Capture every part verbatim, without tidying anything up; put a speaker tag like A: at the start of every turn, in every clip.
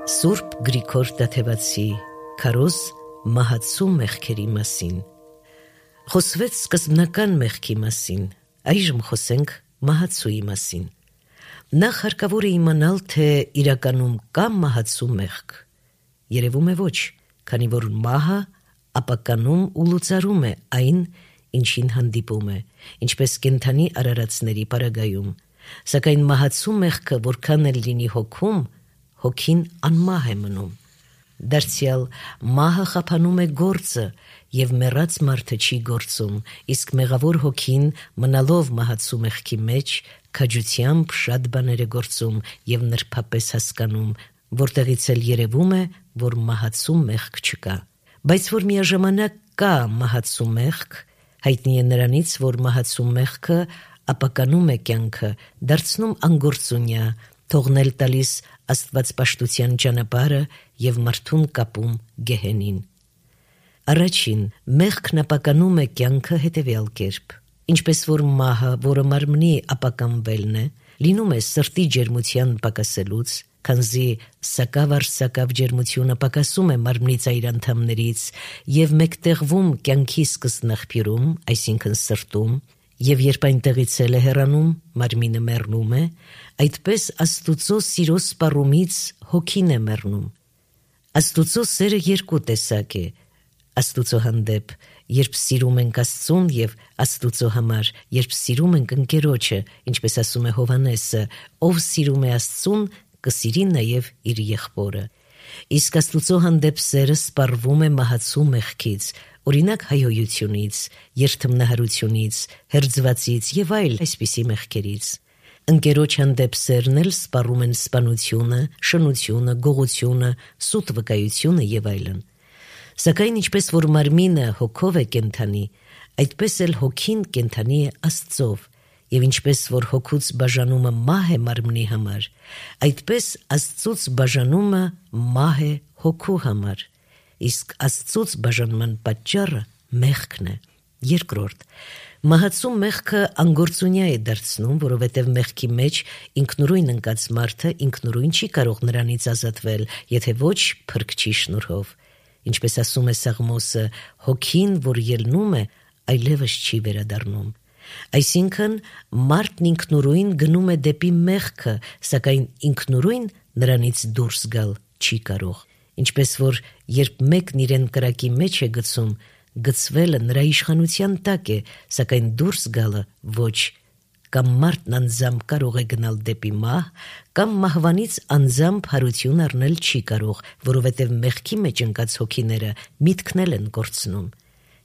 A: Սուրբ Գրիգոր Տաթևացի քարոզ մահացու մեղքերի մասին։ Խոսվեց սկզբնական մեղքի մասին, այժմ խոսենք մահացուի մասին։ Նախ հարկավոր է իմանալ, թե իրականում կա մահացու մեղք։ Երևում է ոչ, քանի որ մահը ապականում ու լուծարում է այն, ինչին հանդիպում է, ինչպես կենդանի արարածների պարագայում, սակայն մահացու մեղքը որքան էլ լինի հոգում, հոգին անմահ է մնում։ Դարձյալ մահը խափանում է գործը և մեռած մարդը չի գործում, իսկ մեղավոր հոգին մնալով մահացու մեղքի մեջ քաջությամբ շատ բաներ է գործում և նրբապես հասկանում, որտեղից էլ երևում է, որ մահացու մեղք չկա։ Բայց որ միաժամանակ կա մահացու մեղք, հայտնի է նրանից, որ մահացու մեղքը ապականում է կյանքը, դարձնում անգործունյա, թողնել տալիս աստվածպաշտության ճանապարհը և մարդուն կապում գեհենին։ Առաջին, մեղքն ապականում է կյանքը հետևյալ կերպ. ինչպես որ մահը, որը մարմնի ապականվելն է, լինում է սրտի ջերմության պակասելուց, քանզի սակավ-առ-սակավ ջերմությունը պակասում է մարմնի ծայր անդամներից և մեկտեղվում կյանքի սկզբնաղբյուրում, այսինքն սրտում, և երբ այնտեղից էլ է հեռանում, մարմինը մեռնում է, այդպես Աստուծո սիրո սպառումից հոգին է մեռնում։ Աստուծո սերը երկու տեսակ է. Աստուծո հանդեպ, երբ սիրում ենք Աստծուն, և Աստուծո համար, երբ սիրում ենք ընկերոջը, ինչպես ասում է Հովհաննեսը, ով սիրում է Աստծուն, կսիրի նաև իր եղբորը։ Իսկ Աստուծո հանդեպ սերը սպառվում է մահացու մեղքից, օրինակ հայհոյությունից, երդմնահարությունից, հերձվածից և այլ այսպիսի մեղքերից։ Ընկերոջ հանդեպ սերն էլ սպառում են սպանությունը, շնությունը, գողությունը, սուտ վկայությունը և այլն։ Սակայն ինչպես որ մարմինը հոգով է կենդանի, այդպես էլ հոգին կենդանի է Աստծով, և ինչպես որ հոգուց բաժանումը մահ է մարմնի համար, այդպես Աստծուց բաժանումը մահ է հոգու համար, իսկ Աստծուց բաժանման պատճառը մեղքն է։ Երկրորդ, մահացու մեղքը անգործունյա է դարձնում, որովհետև մեղքի մեջ ինքնուրույն ընկած մարդը ինքնուրույն չի կարող նրանից ազատվել, եթե ոչ փրկչի շնորհով։ Ինչպես ասում է Սաղմոսը, հոգին, որ ելնում է, այլևս չի վերադառնում։ Այսինքն, մարդն ինքնուրույն գնում է դեպի մեղքը, սակայն ինքնուրույն նրանից դուրս գալ չի կարող։ Ինչպես որ երբ մեկն իրեն կրակի մեջ է գցում, գցվելը նրա իշխանության տակ է, սակայն դուրս գալը ոչ։ Կամ մարդն անձամբ կարող է գնալ դեպի մահ, կամ մահվանից անձամբ հարություն առնել չի կարող, որովհետև մեղքի մեջ ընկած հոգիները միտքն էլ են կորցնում։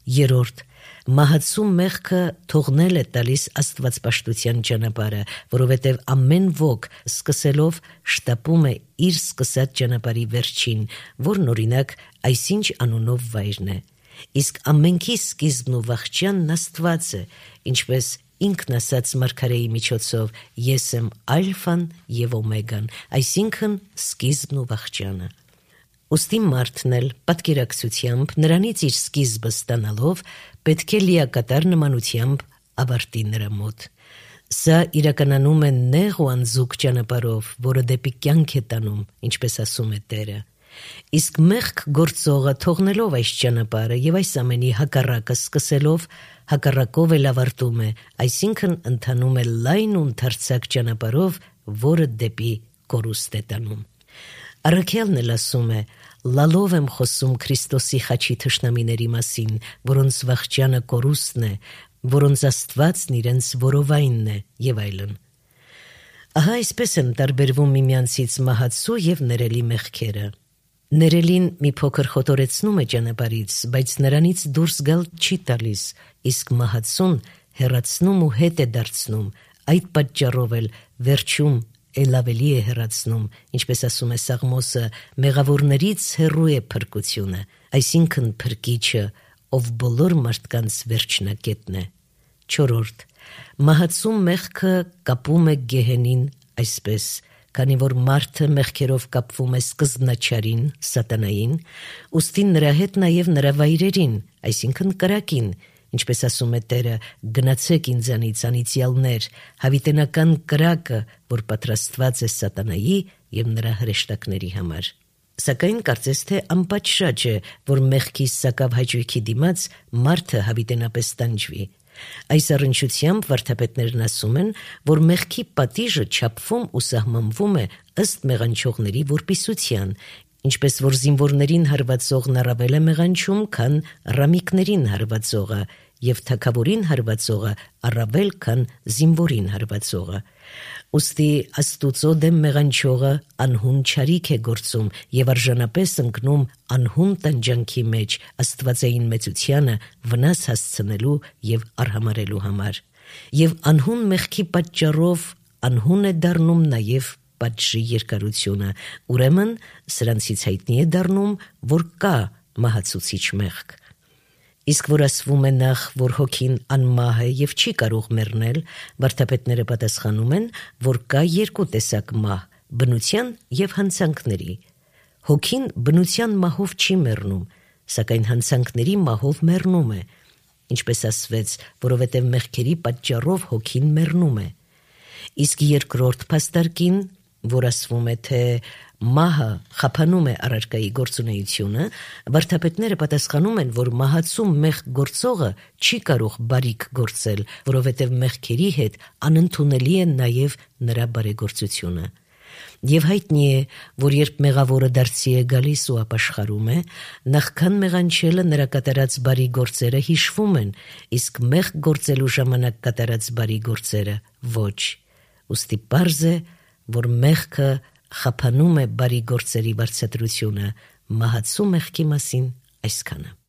A: Երրորդ, մահացու մեղքը թողնել է տալիս աստվածպաշտության ճանապարհը, որովհետև ամեն ոք սկսելով շտապում է իր սկսած ճանապարհի վերջին, որն օրինակ այսինչ անունով վայրն է։ Իսկ ամենքի սկիզբն ու վախճանն Աստված է, ինչպես ինքն ասաց մարգարեի միջոցով. «Ես եմ ալֆան և օմեգան», այսինքն սկիզբն ու վախճանը։ Ուստի մարդն էլ պատկերակցությամբ նրանից իր սկիզբը ստանալով պետք է լիակատար նմանությամբ ավարտի նրա մոտ։ Սա իրականանում է նեղ ու անզուգ ճանապարհով, որը դեպի կյանք է տանում, ինչպես ասում է Տերը։ Իսկ մեղք գործողը թողնելով այս ճանապարհը և այս ամենի հակառակը սկսելով, հակառակով էլ ավարտում է, այսինքն ընթանում է լայն ու ընդարձակ ճանապարհով, որը դեպի կորուստ է տանում։ Առաքյալն էլ ասում է. «Լալով եմ խոսում Քրիստոսի խաչի թշնամիների մասին, որոնց վախճանը կորուստն է, որոնց Աստվածն իրենց որովայնն է» և այլն։ Ահա այսպես են տարբերվում միմյանցից մահացու և ներելի մեղքերը։ Ներելին մի փոքր խոտորեցնում է ճանապարհից, բայց նրանից դուրս գալ չի տալիս, իսկ մահացուն հեռացնում ու հետ է դարձնում, այդ պատճառով էլ վերջում էլ ավելի է հեռացնում, ինչպես ասում է Սաղմոսը, մեղավորներից հեռու է փրկությունը, այսինքն փրկիչը, ով բոլոր մարդկանց վերջնակետն է։ Չորրորդ, մահացու մեղքը կապում է գեհենին այսպես, քանի որ մարդը մեղքերով կապվում է սկզբնաչարին, սատանային, ուստի նրա հետ նաև նրա վայրերին, այսինքն կրակին, ինչպես ասում է Տերը. «Գնացեք ինձանից անիծյալներ, հավիտենական կրակը, որ պատրաստված է սատանայի և նրա հրեշտակների համար»։ Սակայն կարծես թե անպատշաճ է, որ մեղքի սակավ հաճույքի դիմաց մարդը հավիտենապես տանջվի։ Այս առնչությամբ վարդապետներն ասում են, որ մեղքի պատիժը չափվում ու սահմանվում է ըստ մեղանչողների որպիսության, ինչպես որ զինվորներին հարվածողն առավել է մեղանչում, քան ռամիկներին հարվածողը, և թագավորին հարվածողը առավել, քան զինվորին հարվածողը։ Ուստի Աստուծո դեմ մեղանչողը անհուն չարիք է գործում և արժանապես ընկնում անհուն տանջանքի մեջ աստվածային մեծությանը վնաս հասցնելու և արհամարելու համար։ Եվ անհուն մեղքի պատճառով անհուն է դառնում նաև պատժի երկարությունը, ուրեմն սրանցից հայտնի է դառնում, որ կա մահացուցիչ մեղք։ Իսկ որ ասվում է նախ, որ հոգին անմահ է և չի կարող մեռնել, վարդապետները պատասխանում են, որ կա երկու տեսակ մահ՝ բնության և հանցանքների։ Հոգին բնության մահով չի մեռնում, սակայն հանցանքների մահով մեռնում է, ինչպես ասվեց, որովհետև մեղքերի պատճառով հոգին մեռնում է։ Իսկ երկրորդ փաստարկին, որ ասվում է, թե մահը խափանում է առարկայի գործունեությունը, վարդապետները պատասխանում են, որ մահացու մեղք գործողը չի կարող բարիք գործել, որովհետև մեղքերի հետ անընդունելի է նաև նրա բարեգործությունը։ Եվ հայտնի է, որ երբ մեղավորը դարձի է գալիս ու ապաշխարում է, նախքան մեղանչելը նրա կատարած բարի գործերը հիշվում են, իսկ մեղք գործելու ժամանակ կատարած բարի գործերը ոչ։ Ուստի պարզ է, որ մեղքը խափանում է բարի գործերի վարձատրությունը, մահացու մեղքի մասին այսքանը։